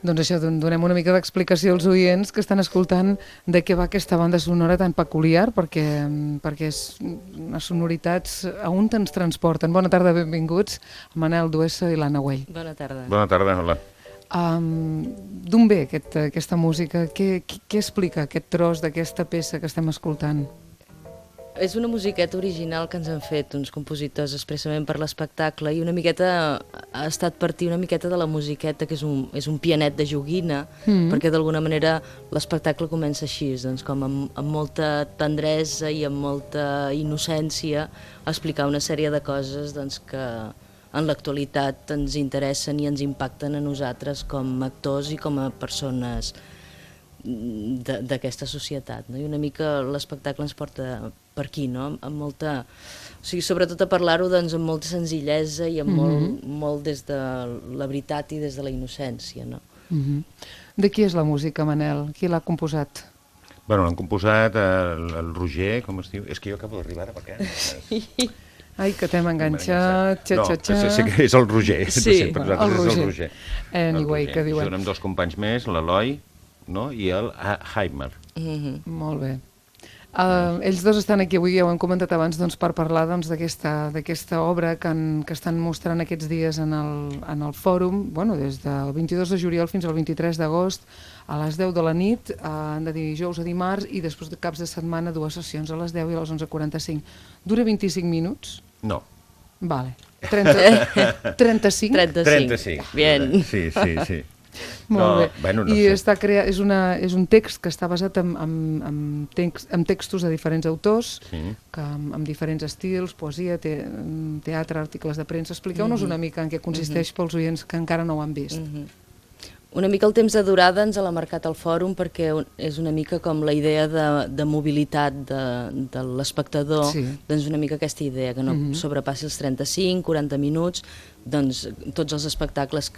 Doncs això, donem una mica d'explicació als oients que estan escoltant de què va aquesta banda sonora tan peculiar, perquè les sonoritats a on ens transporten. Bona tarda, benvinguts, Manel Duessa i l'Anna Güell. Bona tarda. Bona tarda, hola. D'on ve aquesta música? Què explica aquest tros d'aquesta peça que estem escoltant? És una musiqueta original que ens han fet uns compositors expressament per l'espectacle i una miqueta ha estat partir una miqueta de la musiqueta, que és un pianet de joguina, perquè d'alguna manera l'espectacle comença així, doncs, com amb molta tendresa i amb molta innocència a explicar una sèrie de coses doncs, que en l'actualitat ens interessen i ens impacten a nosaltres com a actors i com a persones d'aquesta societat, no? I una mica l'espectacle ens porta per aquí, no? Amb molta, o sigui, sobretot a parlar-ho doncs, amb molta senzillesa i amb molt des de la veritat i des de la innocència, no? De qui és la música, Manel? Qui l'ha composat? Bueno, l'han composat el Roger, com es diu? És que jo acabo d'arribar ara, perquè... Ai, que t'hem enganxat, No, sí que és el Roger. Sí, per nosaltres és el Roger. Anyway, que diuen. Junt amb dos companys més, l'Eloi, no? I el Heimer. Molt bé. Ells dos estan aquí avui, ja ho hem comentat abans, doncs, per parlar doncs, d'aquesta obra que estan mostrant aquests dies en el fòrum, bueno, des del 22 de juliol fins al 23 d'agost, a les 10 de la nit, de dijous a dimarts, i després de caps de setmana, 2 sessions, a les 10 i a les 11:45. Dura 25 minuts? No. Vale. 35? 35. Bien. Sí. Molt bé. Bueno, no I sé. és un text que està basat en textos de diferents autors, que amb diferents estils, poesia, teatre, articles de premsa. Expliqueu-nos una mica en què consisteix pels oients que encara no ho han vist. Una mica el temps de durada ens l'ha marcat el fòrum perquè és una mica com la idea de mobilitat de l'espectador, doncs una mica aquesta idea, que no sobrepassi els 35-40 minuts, doncs tots els espectacles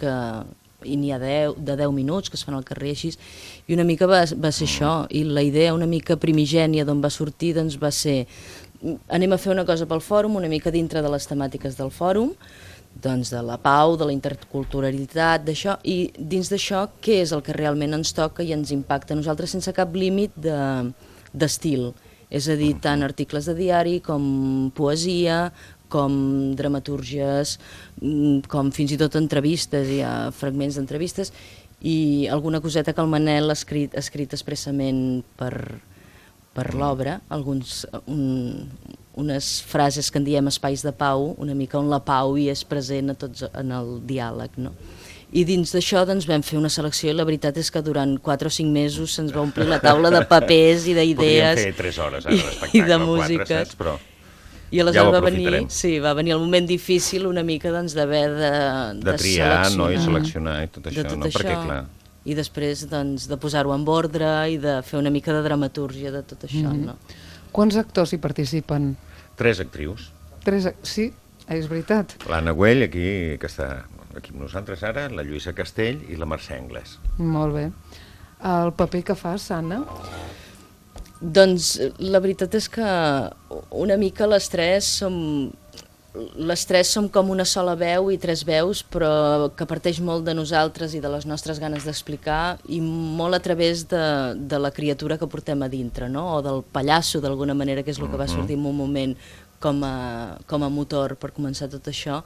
i n'hi ha de 10 minuts que es fan al carrer així, i una mica va ser això, i la idea una mica primigènia d'on va sortir doncs va ser, anem a fer una cosa pel fòrum, una mica dintre de les temàtiques del fòrum, doncs de la pau, de la interculturalitat, d'això, i dins d'això què és el que realment ens toca i ens impacta a nosaltres sense cap límit d'estil, és a dir, tant articles de diari com poesia, com dramatúrgies, com fins i tot entrevistes, hi ha fragments d'entrevistes, i alguna coseta que el Manel ha escrit expressament per l'obra, unes frases que en diem espais de pau, una mica on la pau hi és present a tots en el diàleg, no? I dins d'això doncs, vam fer una selecció i la veritat és que durant 4 o 5 mesos se'ns va omplir la taula de papers i d'idees. Podríem fer 3 hores ara d'espectacle, i de músiques. 4, saps? Però I aleshores va venir el moment difícil una mica doncs, d'haver de triar, no? I seleccionar i tot això, no? Perquè, clar... I després doncs, de posar-ho en ordre i de fer una mica de dramatúrgia de tot això, no? Quants actors hi participen? 3 actrius. 3, sí, és veritat. L'Anna Güell, aquí, que està aquí amb nosaltres ara, la Lluïsa Castell i la Mercè Anglès. Molt bé. El paper que fas, Anna? Doncs la veritat és que una mica les tres som com una sola veu i 3 veus, però que parteix molt de nosaltres i de les nostres ganes d'explicar i molt a través de la criatura que portem a dintre, no? O del pallasso, d'alguna manera, que és el que va sortir en un moment com a motor per començar tot això,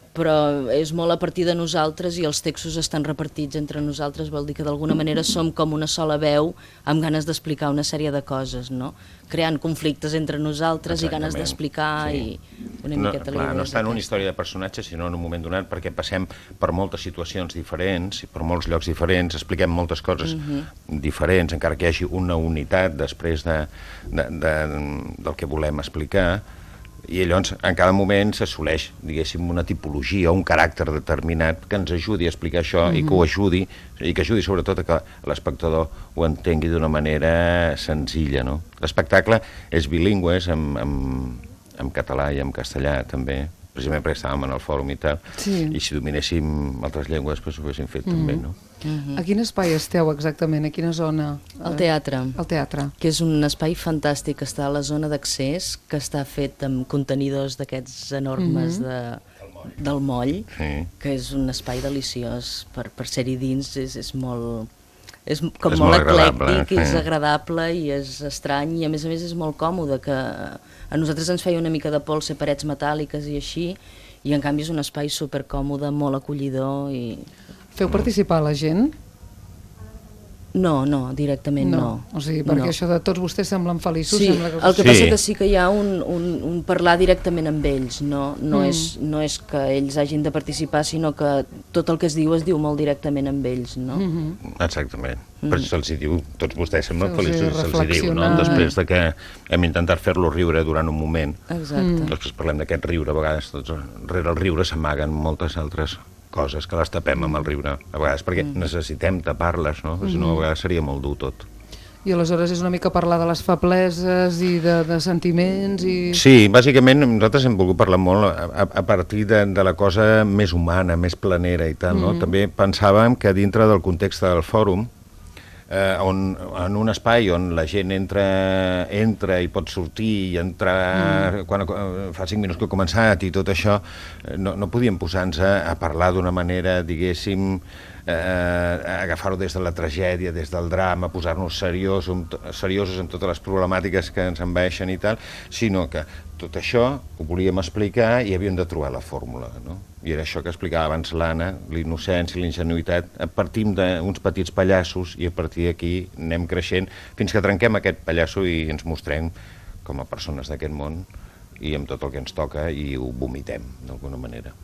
però és molt a partir de nosaltres i els textos estan repartits entre nosaltres, vol dir que d'alguna manera som com una sola veu amb ganes d'explicar una sèrie de coses, no? Creant conflictes entre nosaltres i ganes d'explicar i una miqueta la idea. No està en una història de personatge, sinó en un moment donat, perquè passem per moltes situacions diferents, per molts llocs diferents, expliquem moltes coses diferents, encara que hi hagi una unitat després del que volem explicar, i llavors en cada moment s'assoleix, diguéssim, una tipologia o un caràcter determinat que ens ajudi a explicar això i que ho ajudi, i que ajudi sobretot a que l'espectador ho entengui d'una manera senzilla, no? L'espectacle és bilingüe, és en català i en castellà també, precisament perquè estàvem en el fòrum i tal, i si dominéssim altres llengües doncs ho haguéssim fet també, no? A quin espai esteu exactament? A quina zona? Al teatre. Al teatre. Que és un espai fantàstic, que està a la zona d'accés, que està fet amb contenidors d'aquests enormes del moll, que és un espai deliciós per ser-hi dins, és molt... És com molt eclèctic, és agradable i és estrany i a més és molt còmode, que a nosaltres ens feia una mica de por ser parets metàl·liques i així, i en canvi és un espai supercòmode, molt acollidor. Feu participar la gent? No, directament no. O sigui, perquè això de tots vostès semblen feliços. Sí, el que passa que sí que hi ha un parlar directament amb ells, no és que ells hagin de participar, sinó que tot el que es diu molt directament amb ells, no? Exactament. Per això se'ls diu, tots vostès semblen feliços, se'ls diu, no? Després de que hem intentat fer-lo riure durant un moment. Exacte. Després parlem d'aquest riure, a vegades rere el riure s'amaguen moltes altres coses que les tapem amb el riure, a vegades perquè necessitem tapar-les, no? Si no, a vegades seria molt dur tot. I aleshores és una mica parlar de les febleses i de sentiments i... Sí, bàsicament nosaltres hem volgut parlar molt a partir de la cosa més humana, més planera i tal, no? També pensàvem que dintre del context del fòrum, en un espai on la gent entra i pot sortir i entrar quan fa 5 minuts que ha començat i tot això, no podíem posar-nos a parlar d'una manera, diguéssim, agafar-ho des de la tragèdia, des del drama, posar-nos seriosos en totes les problemàtiques que ens envaeixen i tal, sinó que tot això ho volíem explicar i havíem de trobar la fórmula, no? I era això que explicava abans l'Anna, l'innocència, l'ingenuïtat. Partim d'uns petits pallassos i a partir d'aquí anem creixent fins que trenquem aquest pallasso i ens mostrem com a persones d'aquest món i amb tot el que ens toca i ho vomitem d'alguna manera.